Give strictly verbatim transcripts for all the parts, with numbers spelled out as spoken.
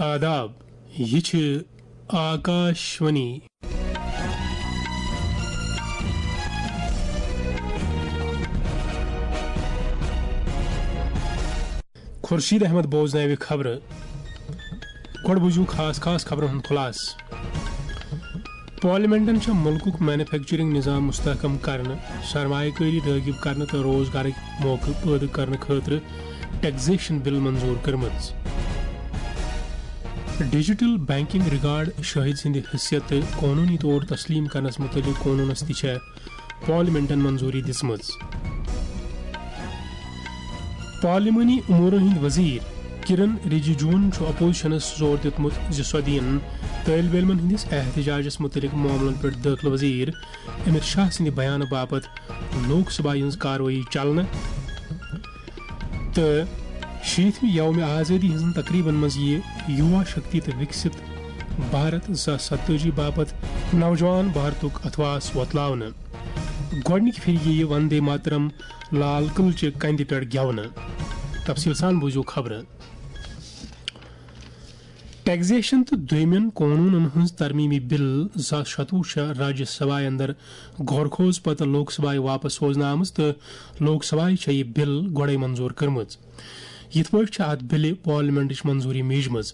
آداب، یہِ چھِ آکاشوانی۔ خورشید احمد بوزناوِ خبرٕ۔ گۄڈٕ بوٗزِو خاص خاص خبرن ہُنٛد خُلاصہٕ۔ پارلیمنٹن چھےٚ مُلکُک مینوفیکچرنگ نظام مستحکم کرنہٕ، سرمایہ کٲری رٲغب کرنہٕ تہٕ روزگارٕکۍ موقعہٕ پٲدٕ کرنہٕ خٲطرٕ ٹیکسیشن بل منظور کٔرمٕژ۔ ڈیجیٹل بینکنگ ریکارڈ شٲہد سٕنٛدِ حیثیت تہٕ قونوٗنی طور تسلیم کرنس مُتعلق قونوٗنس تہِ چھےٚ پارلیمنٹن منظوٗری دِژمٕژ۔ پارلیمانی امورن ہٕنٛدۍ وزیر کرن رجیجوہن چھُ اپوزیشنس زور دیُتمُت زِ سۄ دِیِن طٲلبہِ علمن ہٕنٛدِس احتجاجس مُتعلق معاملن پٮ۪ٹھ دٲخلہٕ وزیر امت شاہ سٕنٛدِ بیانہٕ باپتھ لوک سبھایہ ہٕنٛز کاروٲیی چلنہٕ۔ تہٕ شیٖتمہِ یومِ آزٲدی ہٕنٛزن تقریبن منٛز یِیہِ یُوا شکتی تہٕ وِکسِت بھارت زٕ ساس ستٲجی باپتھ نوجوان بھارتُک اتھواس وۄتلاونہٕ۔ گۄڈٕنِکہِ پھِرِ یِیہِ وندے ماترم لال قلعہٕ چہِ کندِ پٮ۪ٹھ گٮ۪ونہٕ۔ تفصیل سان بوٗزِو خبرٕ۔ ٹیکسیشن تہٕ دوٚیمٮ۪ن قونوٗنن ہٕنٛز ترمیمی بل زٕ ساس شتوُہ چھےٚ راجیہ سبھایہ اندر غور خوض پتہٕ لوک سبھایہ واپس سوزنہٕ آمٕژ تہٕ لوک سبھایہ چھےٚ یہِ بل گۄڈَے منظور کٔرمٕژ۔ یِتھ پٲٹھۍ چھےٚ اتھ بلہِ پارلیمنٹٕچ منظوٗری میجمٕژ۔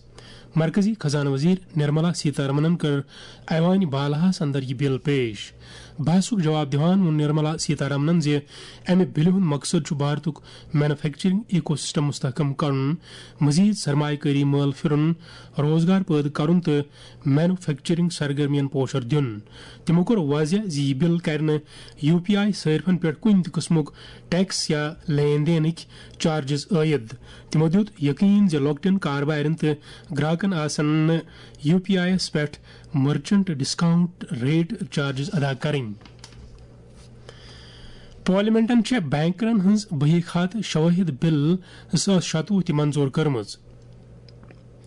مرکزی خزانہٕ وزیر نرملا سیتارمنن کٔر ایوانِ بالاہس اندر یہِ بل پیش۔ بحثُک جواب دِوان ووٚن نرملا سیتارمنن زِ امہِ بلہِ ہُنٛد مقصد چھُ بھارتُک مینوفیکچرنگ ایکو سسٹم مستحکم کرُن، مزید سرمایہ کٲری مٲل پھرُن، روزگار پٲدٕ کرُن تہٕ مینوفیکچرنگ سرگرمین پوشر دیُن۔ تِمو کوٚر واضح زِ یہِ بل کرِ نہٕ یو پی آئی صارفن پٮ۪ٹھ کُنہِ تہِ قٕسمُک ٹیکس یا لین دینٕکۍ چارجز عٲید۔ تِمو دیُت یقین زِ لۄکٹٮ۪ن کاربارٮ۪ن تہٕ گراکن آسن نہٕ یو پی آئی یَس پٮ۪ٹھ مرچنٹ ڈسکاؤنٹ ریٹ چارجز ادا کرٕنۍ۔ پارلیمنٹن چھےٚ بینکرن ہٕنٛز بہی خاتہٕ شوٲہد بل زٕ ساس شتوُہ تہِ منظور کٔرمٕژ،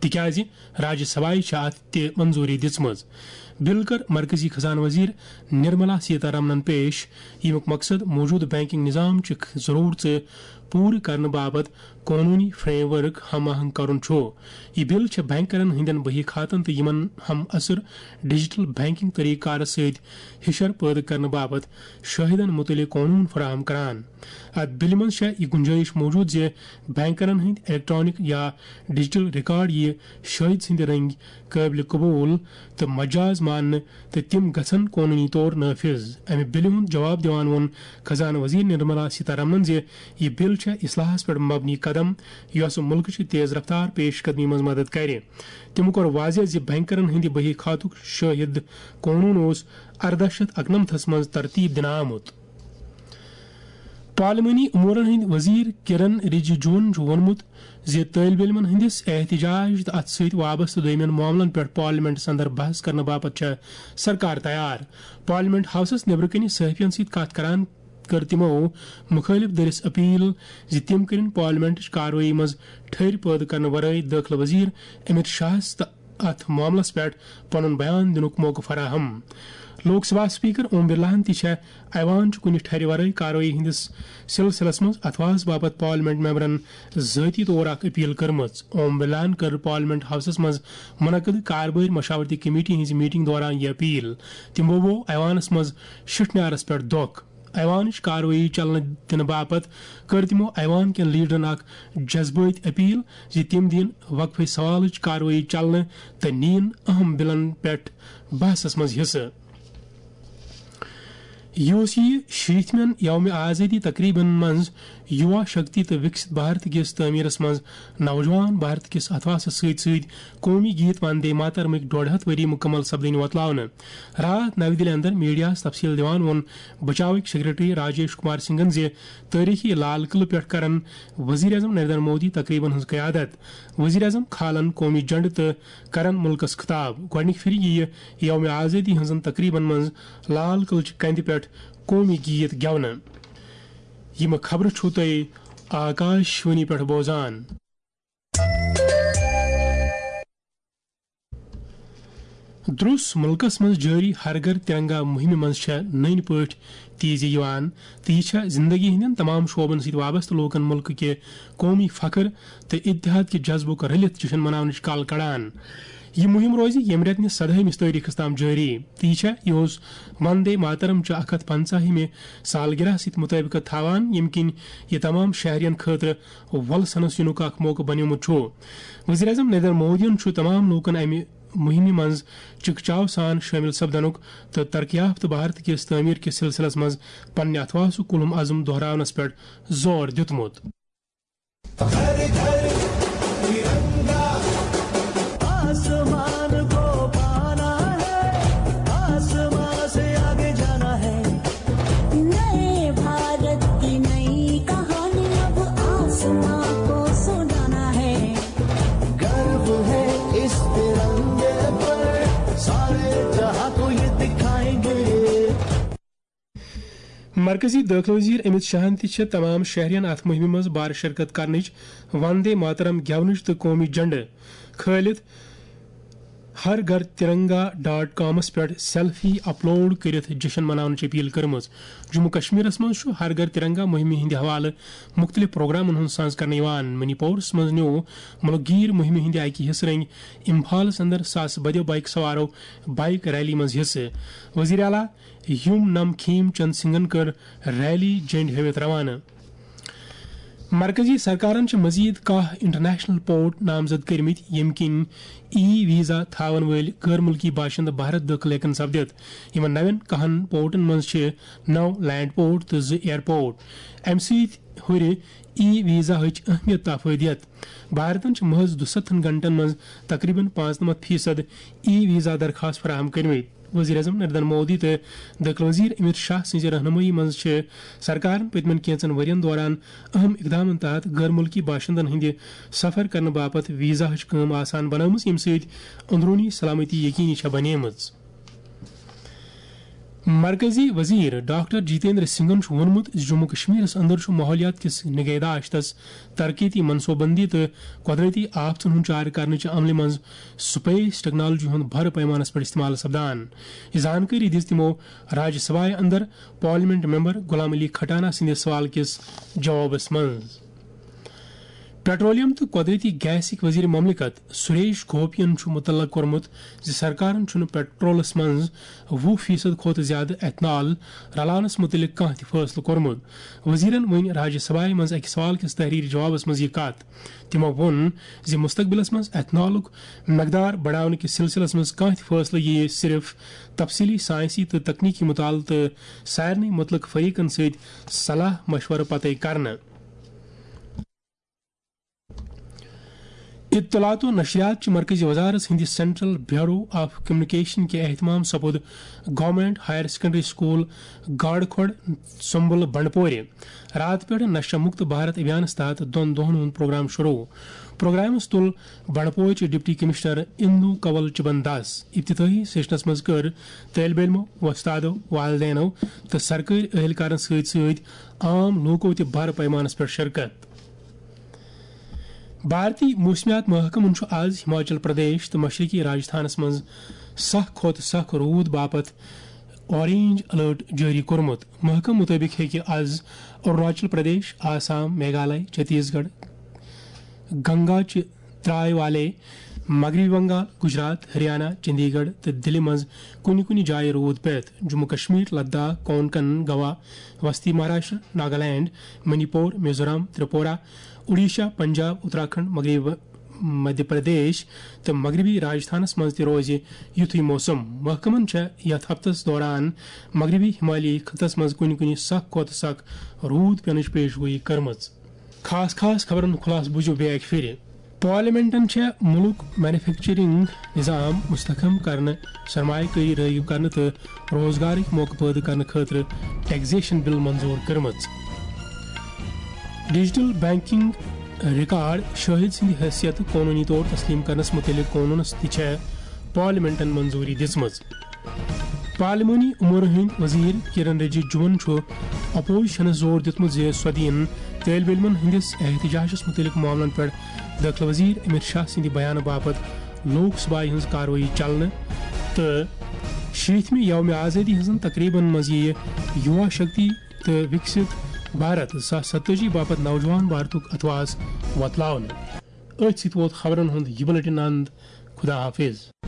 تِکیازِ راجیہ سبھایہ چھےٚ اتھ تہِ منظوٗری دِژمٕژ۔ بل کٔر مرکزی خزانہٕ وزیر نرملا سیتارمنن پیش، ییٚمیُک مقصد موجودٕ بینکنگ نظام چہِ ضرورژٕ پوٗرٕ کرنہٕ باپتھ قونوٗنی فریم ورک ہم آہنگ کرُن چھُ۔ یہِ بل چھےٚ بینکرن ہٕنٛدٮ۪ن بہی خاتن تہٕ یِمن ہم اثر ڈیجیٹل بینکنگ طریقہٕ کارس سۭتۍ ہشر پٲدٕ کرنہٕ باپتھ شاہدن مُتعلق قونوٗن فراہم کران۔ اتھ بلہِ منٛز چھےٚ یہِ گُنجٲیِش موجود زِ بینکرن ہٕنٛدۍ الیکٹرانک یا ڈیجیٹل ریکارڈ یِیہِ شاہد سٕنٛدِ رنگۍ قٲبلِ قبول تہٕ مجاز ماننہٕ، تہٕ تِم گژھن قونوٗنی طور نافذ۔ امہِ بلہِ ہُنٛد جواب دِوان ووٚن خزانہٕ وزیر نرملا سیتارمنن زِ یہِ بل چھےٚ اصلاحس پٮ۪ٹھ مبنی قدم، یۄسہٕ مُلکٕچہِ تیز رفتار پیش قدمی منٛز مدد کرِ۔ تِمو کوٚر واضح زِ بینکرن ہٕنٛدِ بہی خاتُک شاہد قونوٗن اوس ارداہ شیتھ اکنمتھس منٛز ترتیب دِنہٕ آمُت۔ پارلیمانی امورن ہٕنٛدۍ وزیر کرن رجیجوہن چھُ ووٚنمُت زِ طٲلبہِ علمن ہٕنٛدِس احتجاج تہٕ اتھ سۭتۍ وابستہٕ دوٚیمٮ۪ن معاملن پٮ۪ٹھ پارلیمنٹس اندر بحث کرنہٕ باپتھ چھےٚ سرکار تیار۔ پارلیمنٹ ہاوسس نیبرٕ کنہِ صحافین سۭتۍ کتھ کران کٔر تِمو مُخٲلف دٔرِس اپیل زِ تِم کٔرِن پارلیمنٹٕچ کاروٲیی منٛز ٹھٔرۍ پٲدٕ کرنہٕ ورٲے دٲخلہٕ وزیر امت شاہس تہٕ اتھ معاملس پٮ۪ٹھ پنُن بیان دِنُک موقعہٕ فراہم۔ لوک سبھا اسپیکر اوم برلاہن تہِ چھےٚ ایوان چہِ کُنہِ ٹھرِ ورٲے کاروٲیی ہٕنٛدِس سلسلس منٛز اتھواس باپتھ پارلیمنٹ ممبرن ذٲتی طور اکھ اپیل کٔرمٕژ۔ اوم برلاہن کٔر پارلیمنٹ ہاوسس منٛز منعقد کاربٲرۍ مشاورتی کمیٹی ہٕنٛزِ میٹنگ دوران یہِ اپیل۔ تِمو ووٚو ایوانس منٛز شِٹھنیارس پٮ۪ٹھ دۄکھ۔ ایوانٕچ کاروٲیی چلنہٕ دِنہٕ باپتھ کٔر تِمو ایوان کٮ۪ن لیڈرن اکھ جذبٲتۍ اپیل زِ تِم دِن وقفہٕ سوالٕچ کاروٲیی چلنہٕ تہٕ نِیِن اہم بلن پٮ۪ٹھ بحثس منٛز حصہٕ۔ یہِ اوس یہِ شیٖتمٮ۪ن یومِ آزٲدی تقریبن منٛز یُوا شکتی تہٕ وِکسِت بھارت کِس تعمیٖرس منٛز نوجوان بھارت کِس اتھواسس سۭتۍ سۭتۍ قومی گیت وندے ماترمٕکۍ ڈۄڈ ہتھ ؤری مُکمل سپدٕنۍ وۄتلاونہٕ۔ راتھ نَوِ دِلہِ اندر میڈیاہَس تفصیل دِوان ووٚن بچاوٕکۍ سیکرٹری راجیش کمار سنگھن زِ تٲریخی لال قلعہٕ پٮ۪ٹھ کرن وزیر اعظم نریندر مودی تقریبن ہٕنٛز قیادت۔ وزیر اعظم کھالن قومی جھنڈٕ تہٕ کرن مُلکَس خطاب۔ گۄڈٕنِکہِ پھِرِ یِیہِ یومِ آزٲدی ہٕنٛزن تقریبن منٛز لال قلعہٕ چہِ کندِ پٮ۪ٹھ قومی گیت گٮ۪ونہٕ۔ یِم خبرٕ چھِو تُہۍ آکاشوانی پٮ۪ٹھ بوزان۔ درٛوس مُلکَس منٛز جٲری ہر گھر ترنگا مُہِمہِ منٛز چھےٚ نٔنۍ پٲٹھۍ تیزی یِوان، تہٕ یہِ چھےٚ زِندگی ہٕنٛدٮ۪ن تمام شعبَن سۭتۍ وابستہٕ لوٗکَن مُلکہٕ کہِ قومی فخر تہٕ اتحاد کہِ جذبُک رٔلِتھ جشن مناونٕچ کل کڑان۔ یہِ مُہِم روزِ ییٚمہِ رٮ۪تہٕ نِس سدہٲیمِس تٲریخس تام جٲری، تہٕ یہِ چھےٚ یِہُس وندے ماترم چہِ اکھ ہتھ پنژاہمہِ سالگرہ سۭتۍ مُطٲبقت تھاوان، ییٚمہِ کِنۍ یہِ تمام شہرین خٲطرٕ وۄلسنس یِنُک اکھ موقعہٕ بنیومُت چھُ۔ وزیر اعظم نریندر مودیَن چھُ تمام لوٗکَن امہِ مُہِمہِ منٛز چِکچاو سان شٲمِل سپدنُک تہٕ ترقی یافتہٕ بھارت کِس تعمیٖر کِس سلسلس منٛز پننہِ اتھواسُک کُلُم عزم دۄہراونس پٮ۪ٹھ زور دِیُتمُت۔ आसमान को पाना है, आसमान से आगे जाना है। नए भारत की नई कहानी अब आसमान को सुनाना है। गर्व है इस तिरंगे पर, सारे जहां को ये दिखाएंगे। مرکزی دٲخلہٕ وزیر امت شاہن تہِ چھِ تمام شہرین اتھ مُہِمہِ منٛز بار شرکت کرنٕچ وندے ماترم گٮ۪ونٕچ تہٕ قومی جھنڈٕ کھٲلِتھ ہر گھر ترنگا ڈاٹ کامس پٮ۪ٹھ سیلفی اپلوڈ کٔرِتھ جشن مناونٕچ اپیل کٔرمٕژ۔ جموں کشمیرس منٛز چھُ ہر گھر ترنگا مُہِمہِ ہٕنٛدِ حوالہٕ مُختٔلِف پروگرامن ہُنٛد ساز کرنہٕ یِوان۔ منی پورس منٛز نیوٗ مُلک گیٖر مُہِمہِ ہٕنٛدِ اکہِ حصہٕ رٔنگۍ امپھالس اندر ساسہٕ بٔدیو بایک سوارو بایک ریلی منٛز حصہٕ۔ وزیر اعلیٰ یوم نم کھیم چند سنگھن کٔر ریلی جنڈ ہٲوِتھ روانہٕ۔ مرکزی سرکارن چھِ مزید کاہ انٹرنیشنل پورٹ نامزد کٔرمٕتۍ، ییٚمہِ کِنۍ ای ویزا تھاون وٲلۍ غٲر مُلکی باشندٕ بھارت دٲخل ہٮ۪کن سپدِتھ۔ یِمن نوٮ۪ن کاہن پورٹن منٛز چھِ نو لینڈ پورٹ تہٕ زٕ ایئرپورٹ۔ امہِ سۭتۍ ہُرِ ای ویزاہٕچ اہمیت تہٕ افٲدیت۔ بھارتن چھِ محض دُستتھن گھنٹن منٛز تقریباً پانٛژنمتھ فیصد ای ویزا درخواست فراہم کٔرمٕتۍ۔ وزیر اعظم نریندر مودی تہٕ دٲخلہٕ وزیر امت شاہ سٕنٛزِ رہنمٲیی منٛز چھِ سرکارن پٔتمٮ۪ن کینٛژن ؤرین دوران اہم اقدامن تحت غٲر مُلکی باشندن ہٕنٛدِ سفر کرنہٕ باپتھ ویزاہٕچ کٲم آسان بنٲومٕژ، ییٚمہِ سۭتۍ اندروٗنی سلامتی یقینی چھےٚ بنیمٕژ۔ مرکزی وزیر ڈاکٹر جتیندر سنگھن چھُ ووٚنمُت زِ جموں کشمیرس اندر چھُ ماحولیات کِس نگہداشتس، ترقیتی منصوبہٕ بندی تہٕ قۄدرتی آفتن ہُنٛد چارٕ کرنہٕ چہِ عملہِ منٛز سپیس ٹیکنالوجی ہُنٛد بھرٕ پیمانس پٮ۪ٹھ استعمال سپدان۔ یہِ زانکٲری دِژ تِمو راجیہ سبھایہ اندر پارلیمنٹ ممبر غلام علی کھٹانہ سٕنٛدِ سوال کِس جوابس منٛز۔ پیٹرولیم تہٕ قۄدرتی گیسٕکۍ وزیر مملکت سریش گوپین چھُ متعلق کوٚرمُت زِ سرکارن چھُنہٕ پیٹرولس منٛز وُہ فیصد کھۄتہٕ زیادٕ ایتھنال رلاونس مُتعلق کانٛہہ تہِ فٲصلہٕ کوٚرمُت۔ وزیرن ؤنۍ راجیہ سبھایہ منٛز اکہِ سوال کِس تحریری جوابس منٛز یہِ کتھ۔ تِمو ووٚن زِ مستقبلس منٛز ایتھنالُک مقدار بڑاونہٕ کِس سلسلس منٛز کانٛہہ تہِ فٲصلہٕ یِیہِ صرف تفصیلی سائنسی تہٕ تکنیکی مطالعہٕ تہٕ سارنٕے مُتعلق فریقن سۭتۍ صلاح مشورٕ پتے کرنہٕ۔ اطلاعات و نشریات چہِ مرکزی وزارت ہٕنٛدِ سینٹرل بیورو آف کمیونیکیشن کہِ اہتمام سپُد گورنمنٹ ہائر سیکنڈری سکول گاڑ کھۄڑ سمبل بنڈپورِ راتہٕ پٮ۪ٹھ نشہ مکت بھارت ابھیانس تحت دۄن دۄہن ہُنٛد پروگرام شروع۔ پروگرامس تُل بنڈپورچہِ ڈپٹی کمشنر اندو کنول چبن داس۔ افتتاحی سیشنس منٛز کٔر طٲلب علمو، وۄستادو، والدینو تہٕ سرکٲرۍ اہلکارن سۭتۍ سۭتۍ عام لوٗکو تہِ بھرٕ پیمانس پٮ۪ٹھ شرکت۔ بھارتی موسمیات محکمن چھُ آز ہماچل پردیش تہٕ مشرقی راجستھانس منٛز سخ کھۄتہٕ سخ روٗد باپتھ اورینج الرٹ جٲری کوٚرمُت۔ محکمہٕ مُطٲبِق ہیٚکہِ آز اروناچل پردیش، آسام، میگھالے، چھتیس گڑھ، گنگا چہِ ترٛاے والے، مغربی بنگال، گجرات، ہریانہ، چندی گڑھ تہٕ دِلہِ منٛز کُنہِ کُنہِ جایہِ روٗد پٮ۪تھ۔ جموں کشمیر، لداخ، کونکن، گوا، وسطی مہاراشٹر، ناگالینڈ، منی پور، میزورام، تریپورہ، اوڈیشہ، پنجاب، اتراکھنڈ، مغربی مدھیہ پردیش تہٕ مغربی راجستھانس منٛز تہِ روزِ یُتھُے موسم۔ محکمن چھےٚ یتھ ہفتس دوران مغربی ہمالیہ خطس منٛز کُنہِ کُنہِ سخ کھۄتہٕ سخ روٗد پینٕچ پیش گویی کٔرمٕژ۔ خاص خاص خبرن ہُنٛد خلاصہٕ بوٗزِو بیٚیہِ اکہِ پھِرِ۔ پارلیمنٹن چھےٚ مُلک مینوفیکچرنگ نظام مستحکم کرنہٕ، سرمایہ کٲری رٲغب کرنہٕ تہٕ روزگارٕکۍ موقعہٕ پٲدٕ کرنہٕ خٲطرٕ ٹیکسیشن بل منظور کٔرمٕژ۔ ڈیجیٹل بینکنگ ریکارڈ شٲہد سٕنٛدِ حیثیت قونوٗنی طور تسلیم کرنس مُتعلق قونوٗنس تہِ چھےٚ پارلیمنٹن منظوٗری دِژمٕژ۔ پارلیمانی امورن ہٕنٛدۍ وزیر کِرن رِجیجوَن چھُ اپوزیشنس زور دِیُتمُت زِ سۄ دِیِن طٲلب علمن ہٕنٛدِس احتجاجس مُتعلق معاملن پٮ۪ٹھ دٲخلہٕ وزیر امت شاہ سٕنٛدِ بیانہٕ باپتھ لوک سبھایہ ہٕنٛز کاروٲیی چلنہٕ۔ تہٕ شیٖتمہِ یوم آزٲدی ہٕنٛزن تقریبن منٛز یِیہِ یُوا شکتی تہٕ وِکسِت بھارت زٕ ساس ستٲجی باپتھ نوجوان بھارتُک اتھواس وۄتلاونہٕ۔ أتھۍ سۭتۍ ووت خبرن ہُنٛد یہِ بُلٹن اند۔ خدا حافظ۔